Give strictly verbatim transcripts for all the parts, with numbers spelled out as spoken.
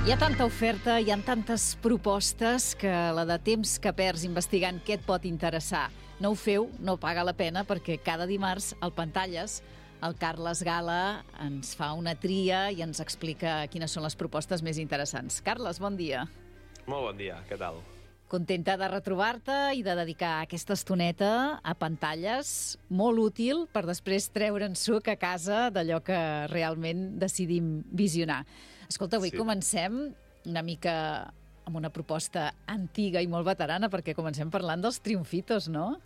Hi ha tanta oferta, hi ha tantes propostes que la de temps que perds investigant què et pot interessar no ho feu, no paga la pena, perquè cada dimarts al Pantalles el Carles Gala ens fa una tria i ens explica quines són les propostes més interessants. Carles, bon dia. Molt bon dia, què tal? Contenta de retrobar-te i de dedicar aquesta estoneta a Pantalles, molt útil per després treure'n suc a casa d'allò que realment decidim visionar. Escolta, avui sí. Comencem una mica amb una proposta antiga i molt veterana, perquè comencem parlant dels Triunfitos, no?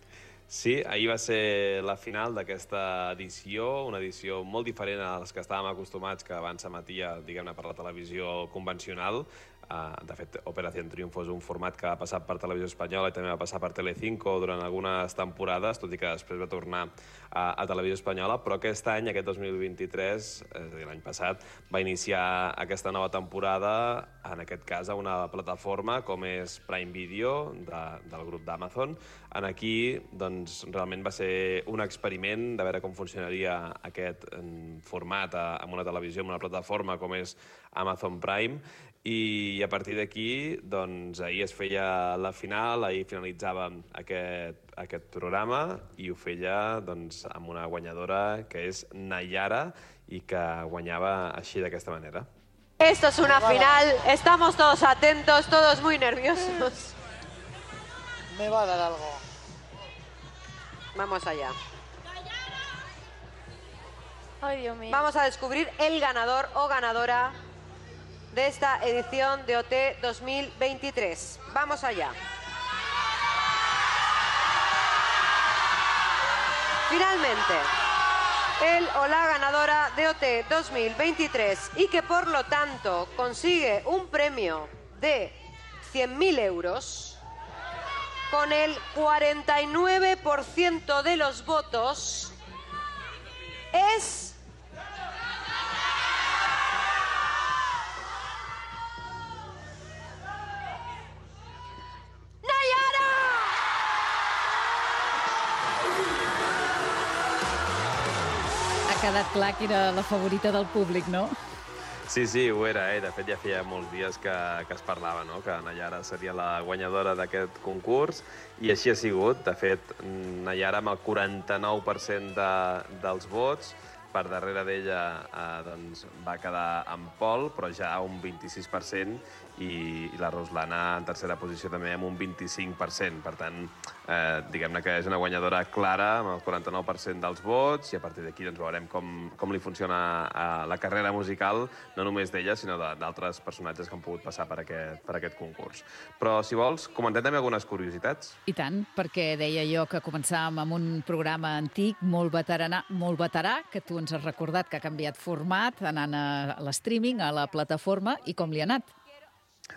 Sí, ahir va ser la final d'aquesta edició, una edició molt diferent a les que estàvem acostumats, que abans s'emetia, diguem-ne, per la televisió convencional. De fet, Operación Triunfo és un format que ha passat per Televisió Espanyola i també va passar per Telecinco durant algunes temporades, tot i que després va tornar a, a Televisió Espanyola, però aquest any, aquest dos mil vint-i-tres, és a dir, l'any passat, va iniciar aquesta nova temporada, en aquest cas a una plataforma com és Prime Video, de, del grup d'Amazon. En aquí, doncs, realment va ser un experiment de veure com funcionaria aquest format amb una televisió, amb una plataforma com és Amazon Prime, i a partir d'aquí, doncs, ahir es feia la final, ahir finalitzava aquest, aquest programa i ho feia, doncs, amb una guanyadora que és Nayara i que guanyava així d'aquesta manera. Esto es una final, estamos todos atentos, todos muy nerviosos. Me va a dar algo. Vamos allá. Ay, Dios mío. Vamos a descubrir el ganador o ganadora de esta edición de O T dos mil veintitrés. Vamos allá. Finalmente, el o la ganadora de O T dos mil veintitrés y que por lo tanto consigue un premio de cien mil euros, con el cuarenta y nueve por ciento de los votos, es... Ha quedat clar que era la favorita del públic, no? Sí, sí, ho era, eh? De fet, ja feia molts dies que, que es parlava, no?, que Nayara seria la guanyadora d'aquest concurs, i així ha sigut. De fet, Nayara, amb el quaranta-nou per cent de, dels vots, per darrere d'ella eh, doncs, va quedar en Pol, però ja un vint-i-sis per cent, i, i la Roslana en tercera posició també amb un vint-i-cinc per cent. Per tant, eh, diguem-ne que és una guanyadora clara amb el quaranta-nou per cent dels vots, i a partir d'aquí doncs, veurem com, com li funciona eh, la carrera musical, no només d'ella, sinó d'altres personatges que han pogut passar per aquest, per aquest concurs. Però, si vols, comentem també algunes curiositats. I tant, perquè deia jo que començàvem amb un programa antic, molt veterà, molt veterà, que tu ens has recordat que ha canviat format, anant a l'streaming, a la plataforma, i com li ha anat?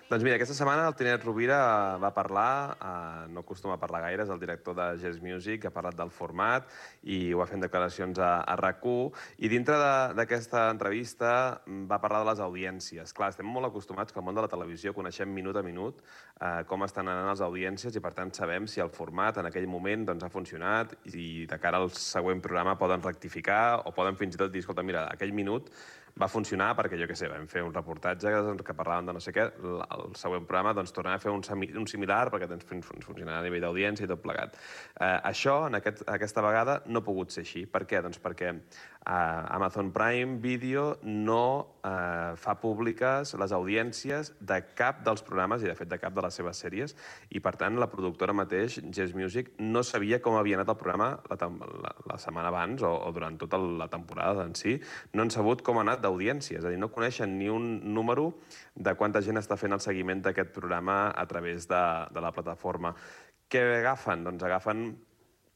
Doncs mira, aquesta setmana el Tinet Rovira va parlar, eh, no acostuma a parlar gaire, és el director de Yes Music, ha parlat del format i ho va fer en declaracions a, a RAC u, i dintre d'aquesta entrevista va parlar de les audiències. Clar, estem molt acostumats que al món de la televisió coneixem minut a minut eh, com estan anant les audiències, i per tant sabem si el format en aquell moment doncs, ha funcionat, i de cara al següent programa poden rectificar o poden fins i tot dir, escolta, mira, aquell minut va funcionar perquè, jo què sé, vam fer un reportatge que parlaven de no sé què, el següent programa doncs, tornarà a fer un, un similar perquè doncs, funcionarà a nivell d'audiència i tot plegat. Eh, això, en aquest, aquesta vegada, no ha pogut ser així. Per què? Doncs perquè eh, Amazon Prime Video no eh, fa públiques les audiències de cap dels programes i, de fet, de cap de les seves sèries, i, per tant, la productora mateix, Yes Music, no sabia com havia anat el programa la, la, la setmana abans o, o durant tota la temporada en si. No han sabut com ha anat d'audiència, és a dir, no coneixen ni un número de quanta gent està fent el seguiment d'aquest programa a través de, de la plataforma. Què agafen? Doncs agafen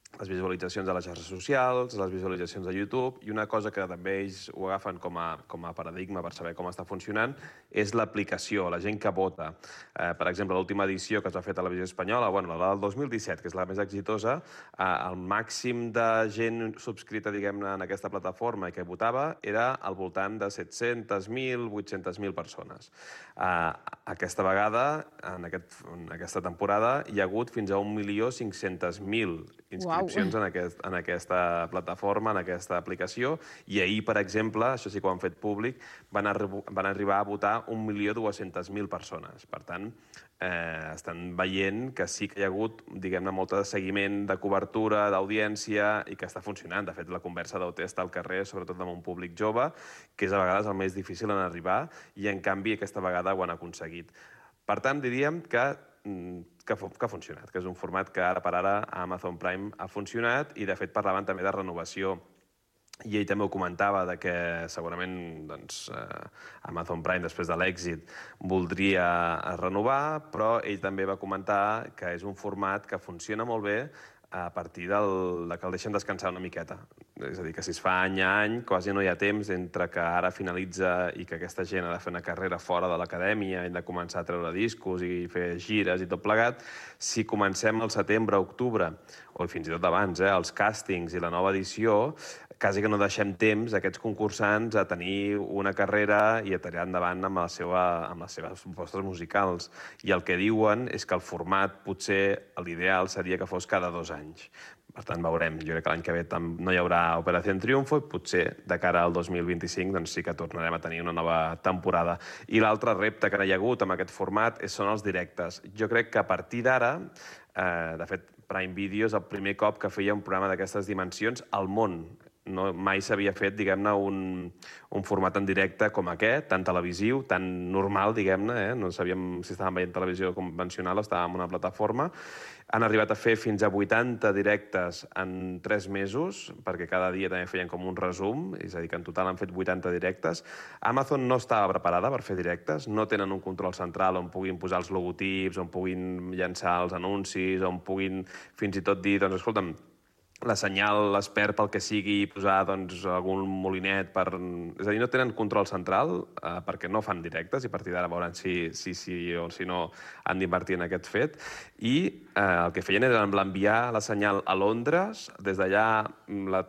les visualitzacions a les xarxes socials, les visualitzacions a YouTube, i una cosa que també ells ho agafen com a, com a paradigma per saber com està funcionant és l'aplicació, la gent que vota. Eh, per exemple, l'última edició que es va fer a Televisió Espanyola, bueno, la del dos mil disset, que és la més exitosa, eh, el màxim de gent subscrita, diguem-ne, en aquesta plataforma i que votava era al voltant de set-cents mil, vuit-cents mil persones. Eh, aquesta vegada, en, aquest, en aquesta temporada, hi ha hagut fins a un milió cinc-cents mil inscrits inscripcions en, aquest, en aquesta plataforma, en aquesta aplicació, i ahir, per exemple, això sí que ho han fet públic, van, arri van arribar a votar un milió dues-centes mil persones. Per tant, eh, estan veient que sí que hi ha hagut, diguem-ne, molt de seguiment, de cobertura, d'audiència, i que està funcionant. De fet, la conversa d'O T està al carrer, sobretot amb un públic jove, que és a vegades el més difícil en arribar, i en canvi aquesta vegada ho han aconseguit. Per tant, diríem que, que, que ha funcionat, que és un format que ara per ara a Amazon Prime ha funcionat, i de fet parlaven també de renovació. I ell també ho comentava, de que segurament doncs, eh, Amazon Prime, després de l'èxit, voldria renovar, però ell també va comentar que és un format que funciona molt bé a partir del, de que el deixen descansar una miqueta. És a dir, que si es fa any a any, quasi no hi ha temps entre que ara finalitza i que aquesta gent ha de fer una carrera fora de l'acadèmia i de començar a treure discos i fer gires i tot plegat. Si comencem al setembre, octubre, o fins i tot abans, eh, els càstings i la nova edició, quasi que no deixem temps a aquests concursants a tenir una carrera i a tirar endavant amb, la seva, amb les seves propostes musicals. I el que diuen és que el format, potser l'ideal seria que fos cada dos anys. Per tant, veurem. Jo crec que l'any que ve no hi haurà Operació Triunfo i potser de cara al dos mil vint-i-cinc doncs sí que tornarem a tenir una nova temporada. I l'altre repte que hi ha hagut amb aquest format són els directes. Jo crec que a partir d'ara, eh, de fet, Prime Video és el primer cop que feia un programa d'aquestes dimensions al món. No, mai s'havia fet, diguem-ne, un, un format en directe com aquest, tan televisiu, tan normal, diguem-ne, eh? No sabíem si estàvem veient televisió convencional o estàvem en una plataforma. Han arribat a fer fins a vuitanta directes en tres mesos, perquè cada dia també feien com un resum, és a dir, que en total han fet vuitanta directes. Amazon no estava preparada per fer directes, no tenen un control central on puguin posar els logotips, on puguin llançar els anuncis, on puguin fins i tot dir, doncs, escolta'm, la senyal es perd pel que sigui, posar doncs, algun molinet per... És a dir, no tenen control central eh, perquè no fan directes i a partir d'ara veuran si sí si, si, o si no han d'invertir en aquest fet. I eh, el que feien era enviar la senyal a Londres, des d'allà la,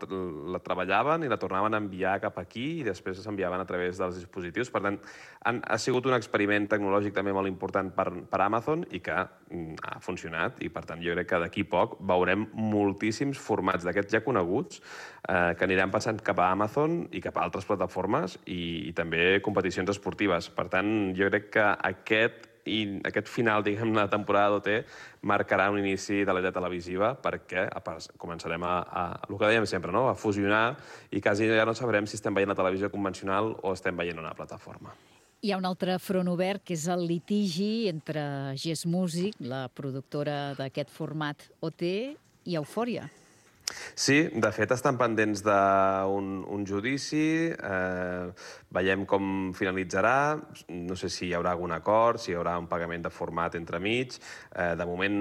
la treballaven i la tornaven a enviar cap aquí i després s'enviaven a través dels dispositius. Per tant, han, ha sigut un experiment tecnològic també molt important per, per Amazon i que mm, ha funcionat i per tant jo crec que d'aquí poc veurem moltíssims formats formats d'aquests ja coneguts eh, que aniran passant cap a Amazon i cap a altres plataformes i, i també competicions esportives. Per tant, jo crec que aquest, i aquest final, diguem, de la temporada d'O T marcarà un inici de l'era televisiva perquè a part, començarem a, a, el que dèiem sempre, no? A fusionar i quasi ja no sabrem si estem veient la televisió convencional o estem veient una plataforma. Hi ha un altre front obert, que és el litigi entre Yes Music, la productora d'aquest format O T, i Eufòria. Sí, de fet estan pendents d'un un judici, eh, veiem com finalitzarà, no sé si hi haurà algun acord, si hi haurà un pagament de format entremig. Eh, de moment,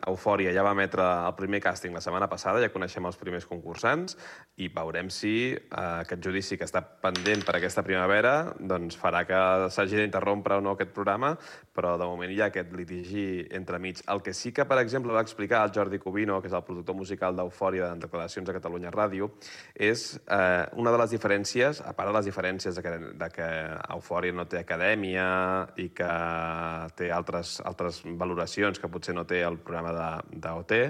Eufòria ja va emetre el primer càsting la setmana passada, ja coneixem els primers concursants, i veurem si eh, aquest judici que està pendent per aquesta primavera doncs farà que s'hagi d'interrompre o no aquest programa, però de moment hi ha aquest litigi entremig. El que sí que, per exemple, va explicar el Jordi Cubino, que és el productor musical d'Eufòria, en declaracions a Catalunya Ràdio, és eh, una de les diferències, a part de les diferències de que, de que Eufòria no té acadèmia i que té altres, altres valoracions que potser no té el programa d'O T,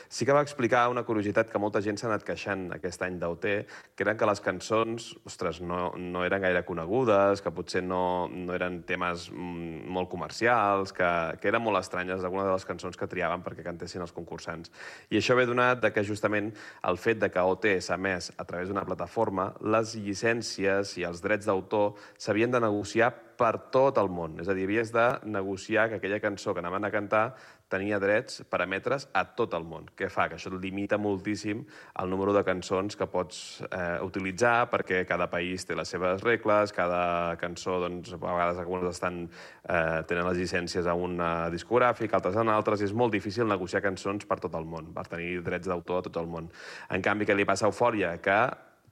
sí que va explicar una curiositat que molta gent s'ha anat queixant aquest any d'O T, que eren que les cançons, ostres, no, no eren gaire conegudes, que potser no, no eren temes molt comercials, que, que eren molt estranyes algunes de les cançons que triaven perquè cantessin els concursants. I això ve donat de que justament el fet de que O T s'ha emès a través d'una plataforma, les llicències i els drets d'autor s'havien de negociar per tot el món. És a dir, havies de negociar que aquella cançó que anaven a cantar tenia drets per emetre's a tot el món. Què fa? Que això limita moltíssim el número de cançons que pots eh, utilitzar perquè cada país té les seves regles, cada cançó, doncs, a vegades algunes estan, eh, tenen les llicències a un discogràfic, altres en altres, i és molt difícil negociar cançons per tot el món, per tenir drets d'autor a tot el món. En canvi, què li passa a Eufòria? Que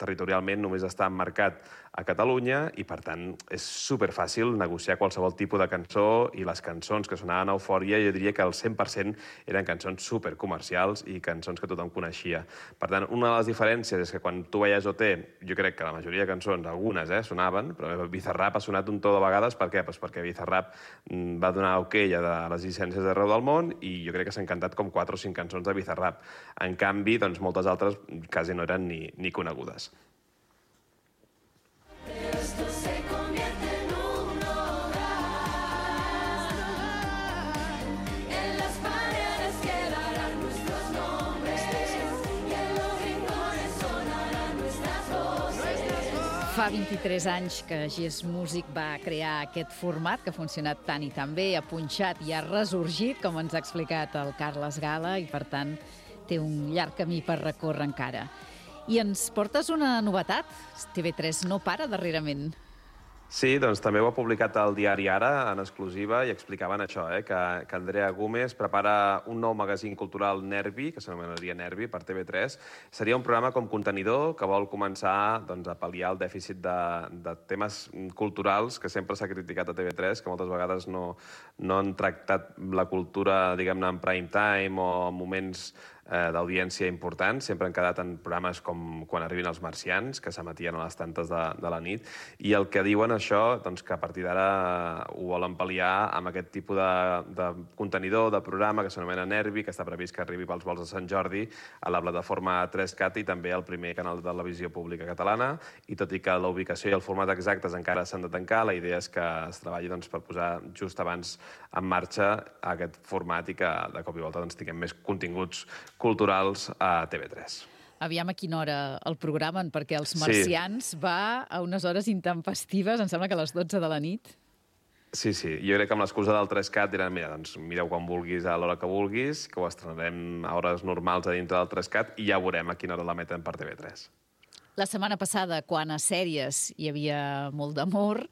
territorialment només està emmarcat a Catalunya i, per tant, és superfàcil negociar qualsevol tipus de cançó i les cançons que sonaven a Eufòria jo diria que el cent per cent eren cançons supercomercials i cançons que tothom coneixia. Per tant, una de les diferències és que quan tu veies O T, jo crec que la majoria de cançons, algunes eh, sonaven, però Bizarrap ha sonat un to de vegades. Per què? Pues perquè Bizarrap va donar ok a les llicències d'arreu del món i jo crec que s'han cantat com quatre o cinc cançons de Bizarrap. En canvi, doncs, moltes altres quasi no eren ni, ni conegudes. Fa vint-i-tres anys que Gés Music va crear aquest format que ha funcionat tant i tan bé, ha punxat i ha ressorgit, com ens ha explicat el Carles Gala, i per tant té un llarg camí per recórrer encara. I ens portes una novetat? T V tres no para darrerament. Sí, doncs també ho ha publicat el diari Ara, en exclusiva, i explicaven això, eh, que, que Andrea Gómez prepara un nou magazín cultural Nervi, que s'anomenaria Nervi, per T V tres. Seria un programa com contenidor que vol començar doncs, a pal·liar el dèficit de, de temes culturals que sempre s'ha criticat a T V tres, que moltes vegades no, no han tractat la cultura, diguem-ne, en prime time o en moments eh, d'audiència importants. Sempre han quedat en programes com Quan arribin els marcians, que s'emetien a les tantes de, de la nit, i el que diuen això, doncs, que a partir d'ara ho volen pal·liar amb aquest tipus de, de contenidor, de programa que s'anomena Nervi, que està previst que arribi pels vols de Sant Jordi a la plataforma tres cat i també al primer canal de televisió pública catalana, i tot i que la ubicació i el format exactes encara s'han de tancar, la idea és que es treballi doncs, per posar just abans en marxa aquest format i que de cop i volta doncs, tinguem més continguts culturals a T V tres. Aviam a quina hora el programen, perquè Els marcians sí. va a unes hores intempestives, em sembla que a les dotze de la nit. Sí, sí. Jo crec que amb l'excusa del tres cat diran, mira, doncs mireu quan vulguis a l'hora que vulguis, que ho estrenarem a hores normals a dintre del tres cat i ja veurem a quina hora la meten per T V tres. La setmana passada, quan a sèries hi havia molt d'amor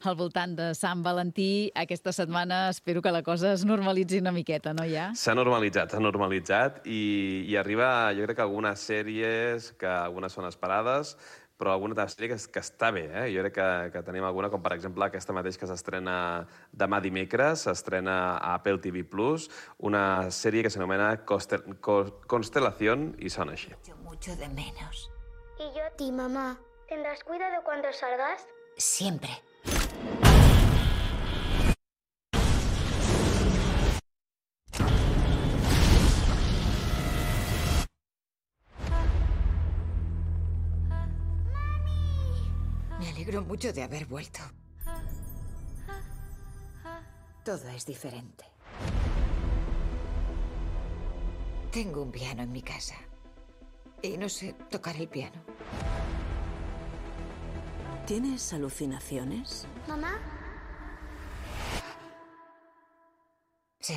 al voltant de Sant Valentí, aquesta setmana espero que la cosa es normalitzi una miqueta, no ja? S'ha normalitzat, s'ha normalitzat i, i arriba, jo crec que algunes sèries, que algunes són esperades, però alguna altra sèrie que, que està bé, eh? Jo crec que, que tenim alguna, com per exemple aquesta mateix que s'estrena demà dimecres, s'estrena a Apple T V plus, una sèrie que s'anomena Constelación i sona així. Mucho de menos. Y yo a ti, mamá. ¿Tendrás cuidado cuando salgas? Siempre. Me alegro mucho de haber vuelto. Todo es diferente. Tengo un piano en mi casa. Y no sé tocar el piano. ¿Tienes alucinaciones? ¿Mamá? Sí.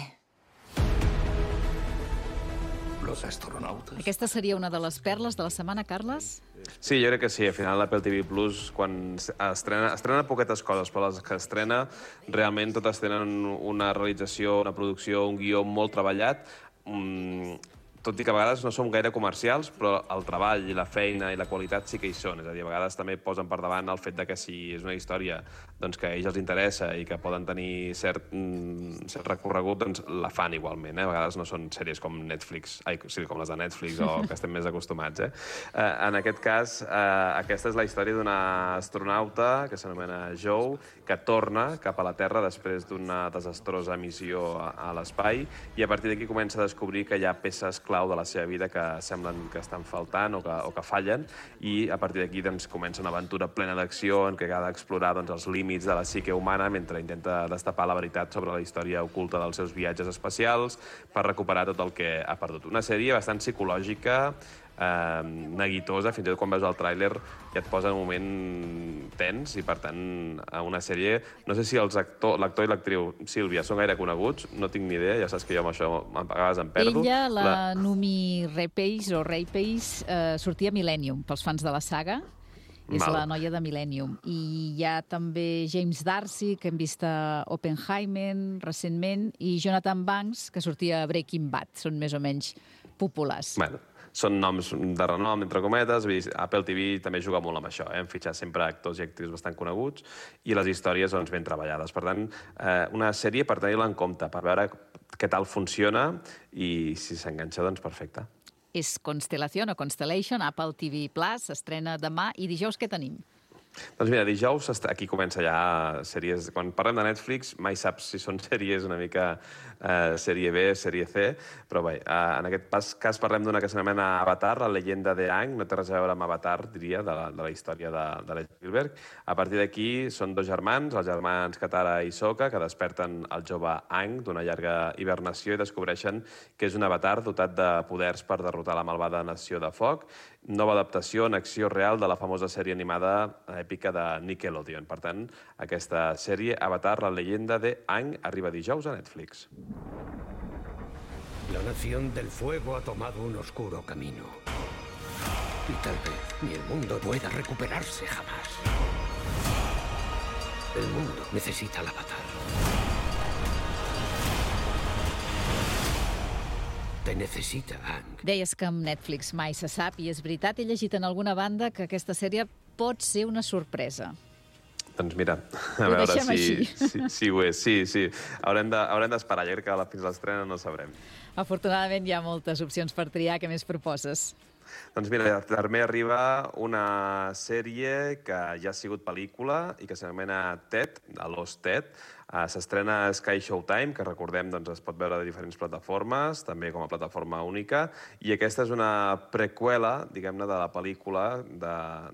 Los astronautas. Aquesta seria una de les perles de la setmana, Carles? Sí, jo crec que sí. Al final l'Apple T V plus, quan estrena, estrena poquetes coses, però les que estrena realment totes tenen una realització, una producció, un guió molt treballat. Mm, tot i que a vegades no som gaire comercials, però el treball i la feina i la qualitat sí que hi són. És a dir, a vegades també posen per davant el fet de que si és una història doncs, que a ells els interessa i que poden tenir cert, mm, cert recorregut, doncs la fan igualment. Eh? A vegades no són sèries com Netflix, ai, sí, com les de Netflix o que estem més acostumats. Eh? Eh, en aquest cas, eh, aquesta és la història d'una astronauta que s'anomena Joe, que torna cap a la Terra després d'una desastrosa missió a, a l'espai, i a partir d'aquí comença a descobrir que hi ha peces clau de la seva vida que semblen que estan faltant o que, o que fallen, i a partir d'aquí doncs, comença una aventura plena d'acció en què ha d'explorar doncs, els límits de la psique humana mentre intenta destapar la veritat sobre la història oculta dels seus viatges espacials per recuperar tot el que ha perdut. Una sèrie bastant psicològica, eh, neguitosa, fins i tot quan veus el tràiler ja et posa en un moment tens, i per tant una sèrie, no sé si els actor, l'actor i l'actriu Sílvia són gaire coneguts, no tinc ni idea, ja saps que jo amb això a vegades em perdo. Ella, la, la... Numi Rapace o Rapace, eh, sortia a Millennium, pels fans de la saga. És Mal. La noia de Millennium. I hi ha també James D'Arcy, que hem vist a Oppenheimer recentment, i Jonathan Banks, que sortia a Breaking Bad. Són més o menys populars. Bueno, són noms de renom, entre cometes. Apple T V també juga molt amb això, eh? En fitxar sempre actors i actrius bastant coneguts i les històries doncs, ben treballades. Per tant, eh, una sèrie per tenir-la en compte, per veure què tal funciona i si s'enganxa, doncs perfecte. És Constellación o Constellation, Apple T V Plus, s'estrena demà i dijous què tenim? Doncs mira, dijous aquí comença ja sèries... Quan parlem de Netflix mai saps si són sèries una mica eh, sèrie B, sèrie C, però bé, eh, en aquest pas, cas parlem d'una que s'anomena Avatar, la llegenda de Aang, no té res a veure amb Avatar, diria, de la, de la història de, de l'E. Spielberg. A partir d'aquí són dos germans, els germans Katara i Sokka, que desperten el jove Aang d'una llarga hibernació i descobreixen que és un avatar dotat de poders per derrotar la malvada nació de foc. Nova adaptació en acció real de la famosa sèrie animada èpica de Nickelodeon. Per tant, aquesta sèrie, Avatar, la leyenda de Aang, arriba dijous a Netflix. La nación del fuego ha tomado un oscuro camino. Y tal vez ni el mundo pueda recuperarse jamás. El mundo necesita al Avatar. Te necessita, Aang. Deies que amb Netflix mai se sap, i és veritat, he llegit en alguna banda que aquesta sèrie pot ser una sorpresa. Doncs mira, a Ho veure deixem si, així. si, si ho és. Sí, sí. Haurem de, haurem d'esperar, ja que fins a l'estrena no sabrem. Afortunadament hi ha moltes opcions per triar. Què més proposes? Doncs mira, també arriba una sèrie que ja ha sigut pel·lícula i que s'anomena Ted, a Lost Ted. Uh, S'estrena a Sky Showtime, que recordem doncs, es pot veure de diferents plataformes, també com a plataforma única, i aquesta és una preqüela, diguem-ne, de la pel·lícula de,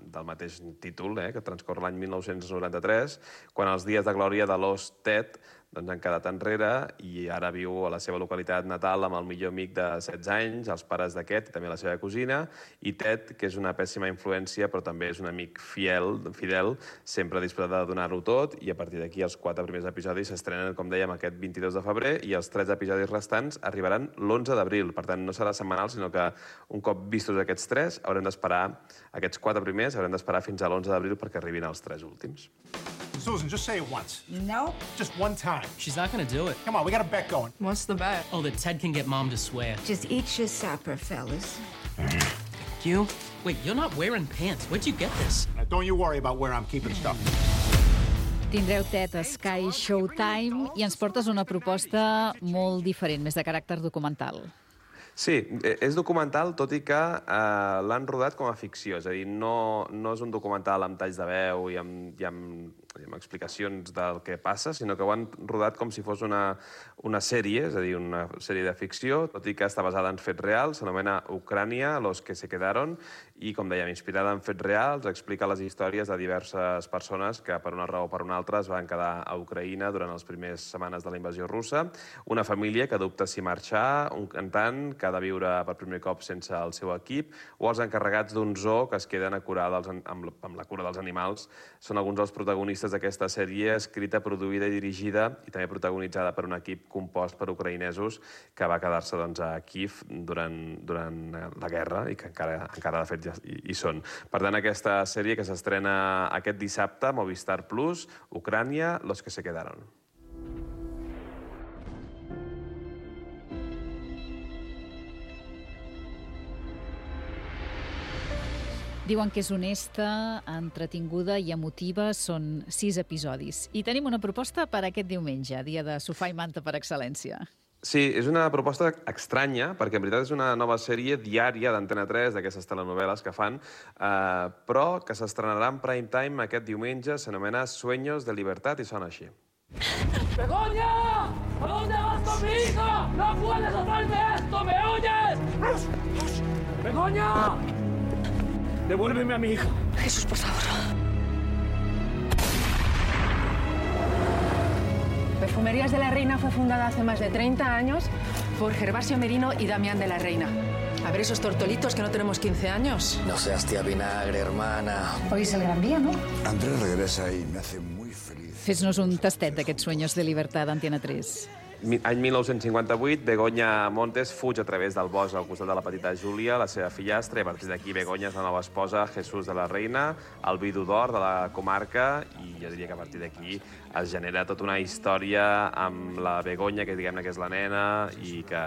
del mateix títol, eh, que transcorre l'any mil nou-cents noranta-tres, quan els dies de glòria de Lost Ted doncs, han quedat enrere i ara viu a la seva localitat natal amb el millor amic de setze anys, els pares d'aquest i també la seva cosina, i Ted, que és una pèssima influència, però també és un amic fiel, fidel, sempre disposat a donar-ho tot, i a partir d'aquí els quatre primers episodis s'estrenen, com dèiem, aquest vint-i-dos de febrer, i els tretze episodis restants arribaran l'onze d'abril. Per tant, no serà setmanal, sinó que un cop vistos aquests tres, haurem d'esperar, aquests quatre primers, haurem d'esperar fins a l'onze d'abril perquè arribin els tres últims. Susan, just say it once. No. Just one time. She's not gonna do it. Come on, we got a bet going. What's the bet? Oh, that Ted can get Mom to swear. Just eat your supper, fellas. Thank you. Wait, you're not wearing pants. Where'd you get this? Now, don't you worry about where I'm keeping stuff. Tindreu Ted a Sky Showtime i ens portes una proposta molt diferent, més de caràcter documental. Sí, és documental, tot i que eh, l'han rodat com a ficció. És a dir, no, no és un documental amb talls de veu i amb, i amb, i amb explicacions del que passa, sinó que ho han rodat com si fos una, una sèrie, és a dir, una sèrie de ficció, tot i que està basada en fets reals, s'anomena Ucrània, los que se quedaron, i, com dèiem, inspirada en fets reals, explica les històries de diverses persones que, per una raó o per una altra, es van quedar a Ucraïna durant les primeres setmanes de la invasió russa, una família que dubta si marxar, un cantant que ha de viure per primer cop sense el seu equip, o els encarregats d'un zoo que es queden a curar dels, amb, amb la cura dels animals. Són alguns dels protagonistes d'aquesta sèrie, escrita, produïda i dirigida, i també protagonitzada per un equip compost per ucraïnesos que va quedar-se doncs, a Kiev durant, durant la guerra i que encara, encara de fet ja hi, hi són. Per tant, aquesta sèrie que s'estrena aquest dissabte, Movistar Plus, Ucrània, los que se quedaron. Diuen que és honesta, entretinguda i emotiva. Són sis episodis. I tenim una proposta per aquest diumenge, dia de sofà i manta per excel·lència. Sí, és una proposta estranya, perquè en veritat és una nova sèrie diària d'Antena tres, d'aquestes telenovel·les que fan, eh, però que s'estrenarà en prime time aquest diumenge, s'anomena Sueños de Libertad, i sona així. ¡Begoña! ¿A dónde vas con mi hija? ¡No puedes hacerme esto! ¿Me oyes? ¡Begoña! ¡Devuélveme a mi hija! Jesús, por favor. Perfumerías de la Reina fue fundada hace más de treinta años por Gervasio Merino y Damián de la Reina. A ver esos tortolitos que no tenemos quince años. No seas tía vinagre, hermana. Hoy es el gran día, ¿no? Andrés regresa y me hace muy feliz. Fes-nos un tastet d'aquests Sueños de Libertad d'Antena tres. Any mil nou-cents cinquanta-vuit, Begoña Montes fuig a través del bosc al costat de la petita Júlia, la seva fillastra, i a partir d'aquí Begoña és la nova esposa Jesús de la Reina, el vidu d'or de la comarca, i jo diria que a partir d'aquí es genera tota una història amb la Begoña, que diguem-ne que és la nena, i que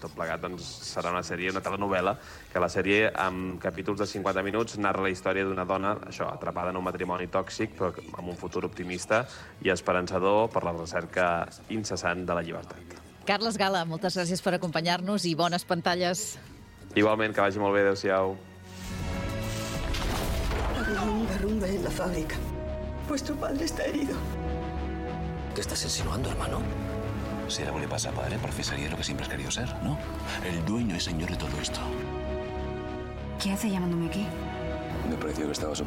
tot plegat doncs, serà una sèrie, una telenovela, que la sèrie, amb capítols de cinquanta minuts, narra la història d'una dona, això, atrapada en un matrimoni tòxic, però amb un futur optimista i esperançador per la recerca incessant de la llibertat. Carles Gala, moltes gràcies per acompanyar-nos i bones pantalles. Igualment, que vagi molt bé, adéu-siau. Ha habido un derrumbe en la fábrica. Vuestro padre está herido. ¿Qué estás insinuando, hermano? Si algo le pasa a padre, profesaría lo que siempre has querido ser, ¿no? El dueño y señor de todo esto. ¿Qué hace llamándome aquí? Me pareció que estabas